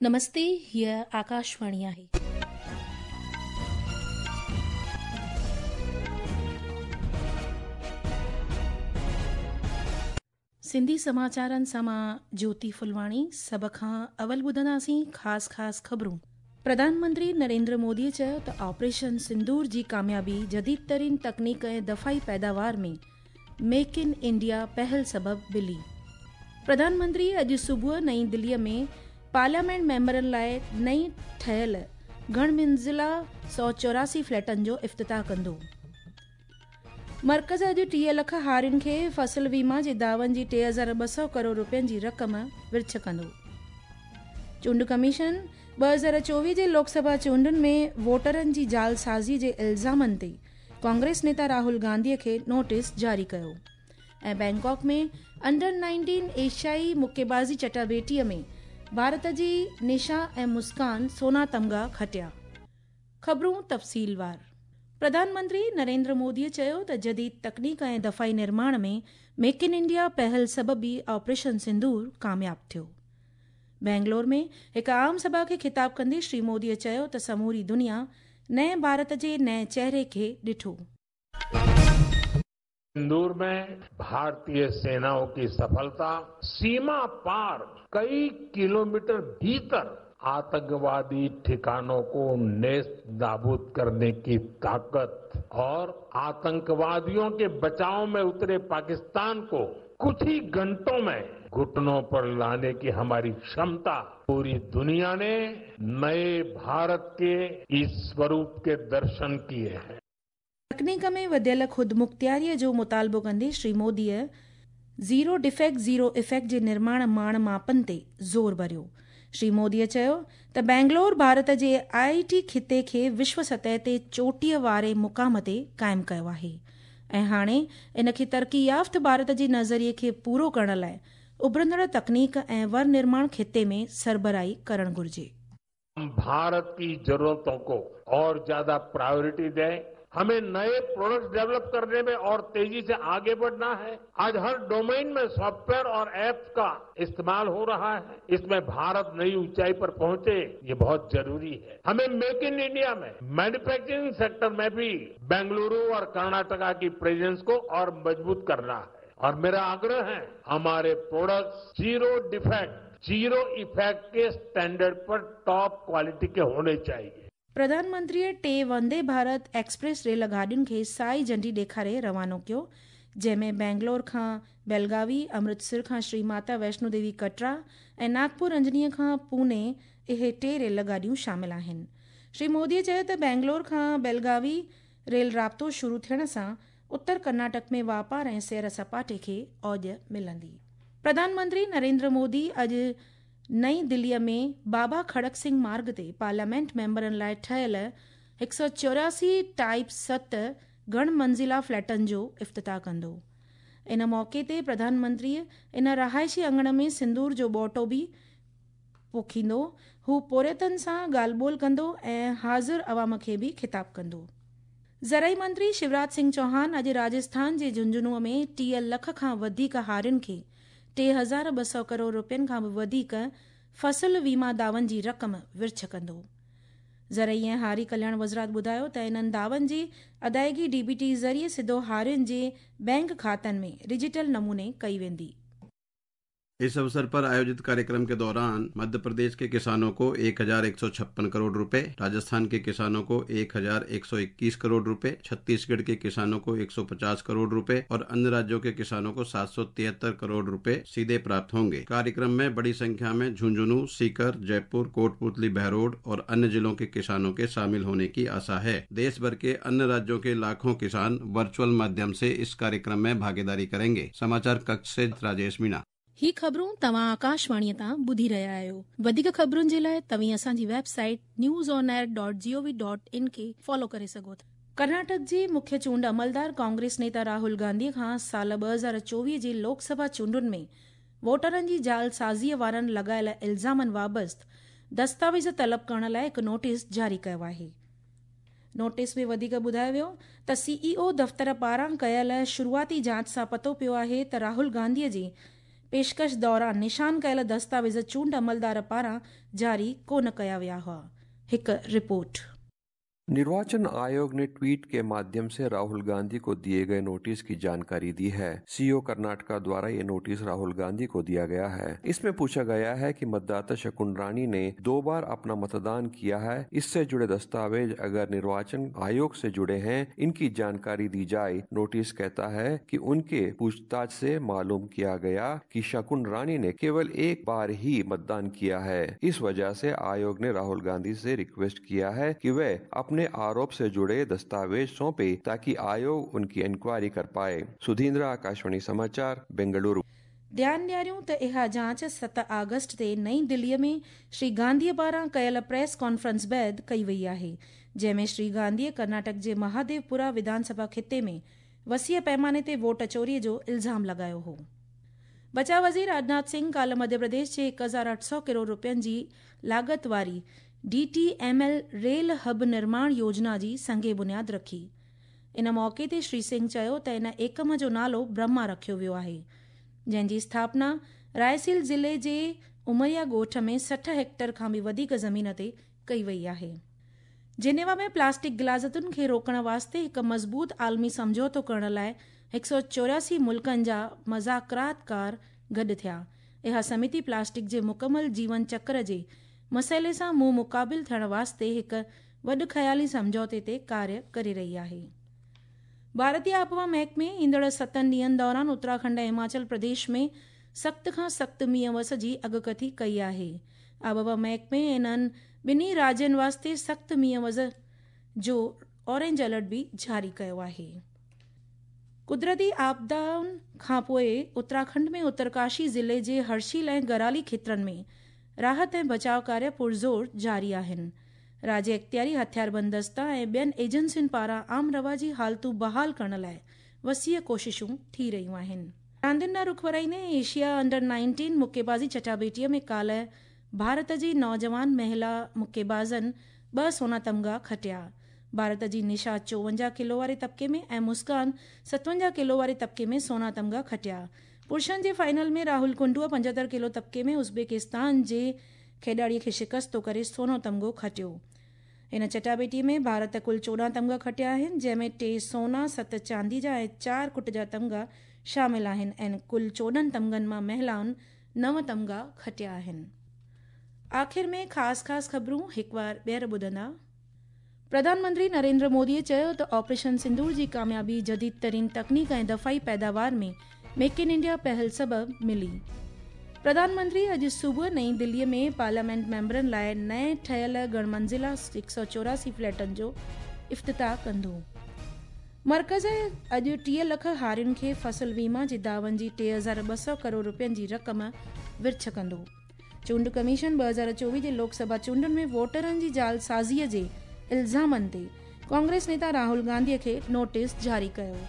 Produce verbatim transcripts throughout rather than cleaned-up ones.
नमस्ते, हीअ आकाशवाणी आहे. सिंधी समाचारनि सां मां ज्योति फुलवाणी। सभ खां अवल ॿुधंदासीं ख़ासि ख़ासि ख़बरूं। प्रधानमंत्री नरेंद्र मोदीअ चयो त ऑपरेशन सिंदूर जी कामयाबी जदीद तरीन तकनीक ऐं दफ़ाई पैदावार में मेक इन इंडिया पहल सबबि मिली। प्रधानमंत्री अॼु सुबुह नई दिल्लीअ में पार्लियामेंट मेंबरनि लाइ नई ठहियल घण मंज़िला सौ चौरासी फ्लैटनि जो इफ़्तिताह कंदो। मर्कज़ अॼु टीह लख हारियुनि खे फसल वीमा जे दावन जी टे हज़ार ॿ सौ करोड़ रुपयनि जी रक़म विर्छ कंदो। चूंड कमीशन ॿ हज़ार चोवीह जे लोकसभा चूंडुनि में वोटरनि जी जालसाज़ी जे इल्ज़ामनि ते कांग्रेस नेता राहुल गांधीअ खे नोटिस जारी कयो। ऐं बैंकॉक में अंडर नाइनटीन एशियाई मुक्केबाज़ी चटाबेटीअ में भारत जी निशा ऐं मुस्कान सोना तमगा खटिया। ख़बरूं तफ़सीलवार। प्रधानमंत्री नरेंद्र मोदीअ चयो त जदीद तकनीक ऐं दफ़ाई निर्माण में मेक इन इंडिया पहल सबबि ऑपरेशन सिंदूर कामयाब थियो। बेंगलोर में हिकु आम सभा खे ख़िताब कंदे श्री मोदीअ चयो त समूरी दुनिया नए भारत जे नए चेहरे खे ॾिठो। सिंदूर में भारतीय सेनाओं की सफलता सीमा पार कई किलोमीटर भीतर आतंकवादी ठिकानों को नेस्त नाबूद करने की ताकत और आतंकवादियों के बचाव में उतरे पाकिस्तान को कुछ ही घंटों में घुटनों पर लाने की हमारी क्षमता पूरी दुनिया ने नए भारत के इस स्वरूप के दर्शन किए हैं। तकनीक में वधियल ख़ुदमुख़्तियारीअ जो मुतालबो कंदे श्री मोदीअ ज़ीरो डिफेक्ट ज़ीरो इफेक्ट जे निर्माण माण मापनि ते ज़ोर भरियो। श्री मोदीअ चयो त बेंगलोर भारत जे I T ख़िते खे विश्व सतह ते चोटीअ वारे मुक़ाम ते क़ाइमु कयो आहे ऐं हाणे इन खे तरक़ी याफ़्त भारत जे नज़रिए खे पूरो करण लाइ उभरंदड़ तकनीक ऐं वर निर्माण ख़िते में सरबराही करणु घुरिजे। हम भारत की जरूरतों को और ज्यादा प्रायोरिटी दें। हमें नए प्रोडक्ट्स डेवलप करने में और तेजी से आगे बढ़ना है। आज हर डोमेन में सॉफ्टवेयर और ऐप्स का इस्तेमाल हो रहा है। इसमें भारत नई ऊंचाई पर पहुंचे, ये बहुत जरूरी है। हमें मेक इन इंडिया में मैन्युफैक्चरिंग सेक्टर में भी बेंगलुरु और कर्नाटका की प्रेजेंस को और मजबूत करना है। और मेरा आग्रह है, हमारे products zero defect zero effect के स्टैंडर्ड पर टॉप क्वालिटी के होने चाहिए। प्रधानमंत्रीअ टे वंदे भारत एक्सप्रेस रेल गाॾियुनि खे साई झंडी ॾेखारे रवानो कयो, जंहिंमें बेंगलोर खां बेलगावी, अमृतसर खां श्री माता वैष्णो देवी कटरा ऐं नागपुर अंजनीअ खां पुणे इहे टे रेल गाॾियूं शामिल आहिनि। श्री मोदीअ चयो त बेंगलोर खां बेलगावी रेल राब्तो शुरू थियण सां उत्तर कर्नाटक में वापार ऐं सैर सपाटे खे औज मिलंदी। प्रधानमंत्री नरेंद्र मोदी अॼु नई दिल्लीअ में बाबा खड़क सिंह मार्ग ते पार्लियामेंट मेंबरनि लाइ ठहियल हिकु सौ चौरासी टाइप सत घण मंज़िला फ्लैटनि जो इफ़्तिताह कंदो। इन मौक़े ते प्रधानमंत्री इन रहाइशी अंगण में सिंदूर जो ॿोटो बि पोखींदो। हू पोरियतनि सां ॻाल्हि ॿोल कंदो ऐं हाज़िर अवाम खे बि ख़िताब कंदो। ज़रई मंत्री शिवराज सिंह चौहान अॼु राजस्थान जे झुंझुनूअ में टीह लख खां वधीक हारियुनि खे टे हज़ार ॿ सौ करोड़ रुपयनि खां बि वधीक फसल वीमा दावन जी रक़म विर्छ कंदो। ज़रई ऐं हारी कल्याण वज़ारत ॿुधायो त इन्हनि दावन जी अदायगी डी बी टी ज़रिए सिधो हारियुनि जे बैंक खातनि में डिजिटल नमूने कई वेंदी। इस अवसर पर आयोजित कार्यक्रम के दौरान मध्य प्रदेश के किसानों को एक हजार एक सौ छप्पन करोड़ रुपए, राजस्थान के किसानों को एक हजार एक सौ इक्कीस करोड़ रुपए, छत्तीसगढ़ के किसानों को एक सौ पचास करोड़ रुपए और अन्य राज्यों के किसानों को सात सौ तिहत्तर करोड़ रुपए सीधे प्राप्त होंगे। कार्यक्रम में बड़ी संख्या में झुंझुनू, सीकर, जयपुर, कोटपुतली, बहरोड और अन्य जिलों के किसानों के शामिल होने की आशा है। देश भर के अन्य राज्यों के लाखों किसान वर्चुअल माध्यम से इस कार्यक्रम में भागीदारी करेंगे। समाचार कक्ष से राजेश मीणा। ही ख़बरूं तव्हां आकाशवाणीअ तां ॿुधी रहिया आहियो। वधीक ख़बरुनि जे लाइ तव्हीं असांजी website news on air dot G O V dot in खे फॉलो करे सघो था। कर्नाटक जे मुख्य चूंड अमलदार कांग्रेस नेता राहुल गांधीअ खां साल ॿ हज़ार चोवीह जे लोकसभा चूंडुनि में वोटरनि जी जालसाज़ीअ वारनि लॻायल इल्ज़ामनि वाबस्त दस्तावेज़ तलब करण लाइ हिकु नोटिस जारी कयो आहे। नोटिस में वधीक ॿुधायो वियो त सी ई ओ दफ़्तर पारां कयल शुरूआती जांच सां पतो पियो आहे त राहुल गांधीअ जे पेशकश दौरान निशान कयल दस्तावेज़ चूंड अमलदार पारां जारी कोन कया विया हुआ। हिकु रिपोर्ट। निर्वाचन आयोग ने ट्वीट के माध्यम से राहुल गांधी को दिए गए नोटिस की जानकारी दी है। सीओ कर्नाटका द्वारा ये नोटिस राहुल गांधी को दिया गया है। इसमें पूछा गया है कि मतदाता शकुन रानी ने दो बार अपना मतदान किया है, इससे जुड़े दस्तावेज अगर निर्वाचन आयोग से जुड़े हैं इनकी जानकारी दी जाए। नोटिस कहता है कि उनके पूछताछ से मालूम किया गया कि शकुन रानी ने केवल एक बार ही मतदान किया है। इस वजह से आयोग ने राहुल गांधी से रिक्वेस्ट किया है कि वे अपने आरोप से जुड़े दस्तावेज सौंपे ताकि आयोग उनकी इंक्वायरी कर पाए। सुधींद्र, आकाशवाणी समाचार, बेंगलुरु। ध्यान ॾियारियूं त इहा जांच सत आगस्ट ते नई दिल्लीअ में श्री गांधीअ पारां कयल प्रेस कॉन्फ्रेंस बाद कई वई आहे, जंहिं में श्री गांधीअ कर्नाटक जे महादेवपुरा विधानसभा खिते में वसीअ पैमाने ते वोट चोरीअ जो इल्ज़ाम लॻायो हो। बचाव वज़ीर राजनाथ सिंह काल्ह मध्य प्रदेश जे हिकु हज़ार अठ सौ करोड़ रुपयनि जी लागत वारी D T M L rail hub निर्माण योजना जी संगे बुनियाद रखी। इन मौक़े ते श्री सिंह चयो त इन एकम जो नालो ब्रह्मा रखियो वियो आहे, जंहिंजी स्थापना रायसील ज़िले जे उमरिया ॻोठ में सठि हेक्टर खां बि वधीक ज़मीन ते कई वई आहे। जिनेवा में प्लास्टिक गिलाज़तुनि खे रोकण वास्ते हिकु मज़बूत आलमी सम्झौतो करण लाइ हिकु सौ चौरासी मुल्कनि जा मज़ाकरातकार गॾु थिया। इहा समिति प्लास्टिक जे मुकमल जीवन चक्र जे मसइले सां मुंहुं मुक़ाबिल थियण वास्ते हिकु वॾ ख़याली सम्झौते ते कार्य करे रही आहे। भारतीय आबहवा महकमे ईंदड़ सतनि ॾींहनि दौरान उत्तराखंड ऐं हिमाचल प्रदेश में सख़्त खां सख़्तु मींहं वस जी अॻकथी कई आहे। आबहवा महकमे इन्हनि ॿिन्ही राज्यनि वास्ते सख़्तु मींहं वस जो ऑरेंज अलर्ट बि जारी कयो आहे। कुदरती आपदाउनि खां पोइ उत्तराखंड में उत्तरकाशी ज़िले जे हर्शील ऐं गराली खेत्रनि में राहत ऐं बचाव कार्य पुरज़ोर जारी आहिनि। राज्य अख़्तियारी हथियारबंद दस्ता ऐं ॿियनि एजेंसियुनि पारां आम रवाजी हालतूं बहाल करण लाइ वसीअ कोशिशूं थी रहियूं आहिनि। रांदियुनि ॾांहुं रुख वराईंदे एशिया अंडर नाइनटीन मुक्केबाज़ी चटाबेटीअ में काल्ह भारत जी नौजवान महिला मुक्केबाज़नि ॿ सोना तमगा खटिया। भारत जी निशा चोवंजाह किलो वारे तबिके में ऐं मुस्कान सतवंजाह किलो वारे तबिके में सोना तमगा खटिया। पुरुषनि जे फाइनल में राहुल कुंडूअ पंजहतरि किलो तबिके में उज़्बेकिस्तान जे खेॾाड़ीअ खे शिकस्तो करे सोनो तमगो खटियो। इन चटाबेटी में भारत कुल चोॾहं तमगा खटिया आहिनि, जंहिंमें टे सोना, सत चांदी जा ऐं चारि कुट जा तमगा शामिल आहिनि ऐं कुल चोॾहं तमगनि मां महिलाउनि नव तमगा खटिया आहिनि। आख़िर में ख़ासि ख़ासि ख़बरूं हिकु बार ॿीहर ॿुधंदा। प्रधानमंत्री नरेंद्र मोदीअ चयो त ऑपरेशन सिंदूर जी कामयाबी जदीद तरीन तकनीक ऐं दफ़ाई पैदावार में मेक इन इंडिया पहल सबबि मिली। प्रधानमंत्री अॼु सुबुह नई दिल्लीअ में पार्लियामेंट मेंबरनि लाइ नए ठहियल गणमंज़िला हिकु सौ चौरासी फ्लैटनि जो इफ़्तिताह कंदो। मर्कज़ अॼु टीह लख हारियुनि खे फसल वीमा जे दावन जी टे हज़ार ॿ सौ करोड़ रुपयनि जी रक़म विर्छ कंदो। चूंड कमीशन ॿ हज़ार चोवीह जे लोकसभा चूंडुनि में वोटरनि जी जालसाज़ीअ जे इल्ज़ामनि ते कांग्रेस नेता राहुल गांधीअ खे नोटिस जारी कयो।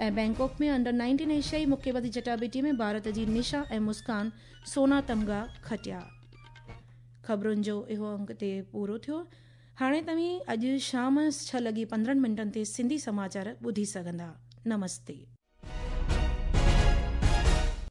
ऐं बैंकॉक में अंडर नाइनटीन एशियाई मुक्केबाज़ी चटाबेटी में भारत जी निशा ऐं मुस्कान सोना तमगा खटिया। ख़बरुनि जो इहो अंक ते पूरो थियो। हाणे तव्हीं अॼु शाम छह लॻी पंद्रहं मिंटनि ते सिंधी समाचार ॿुधी सघंदा। नमस्ते।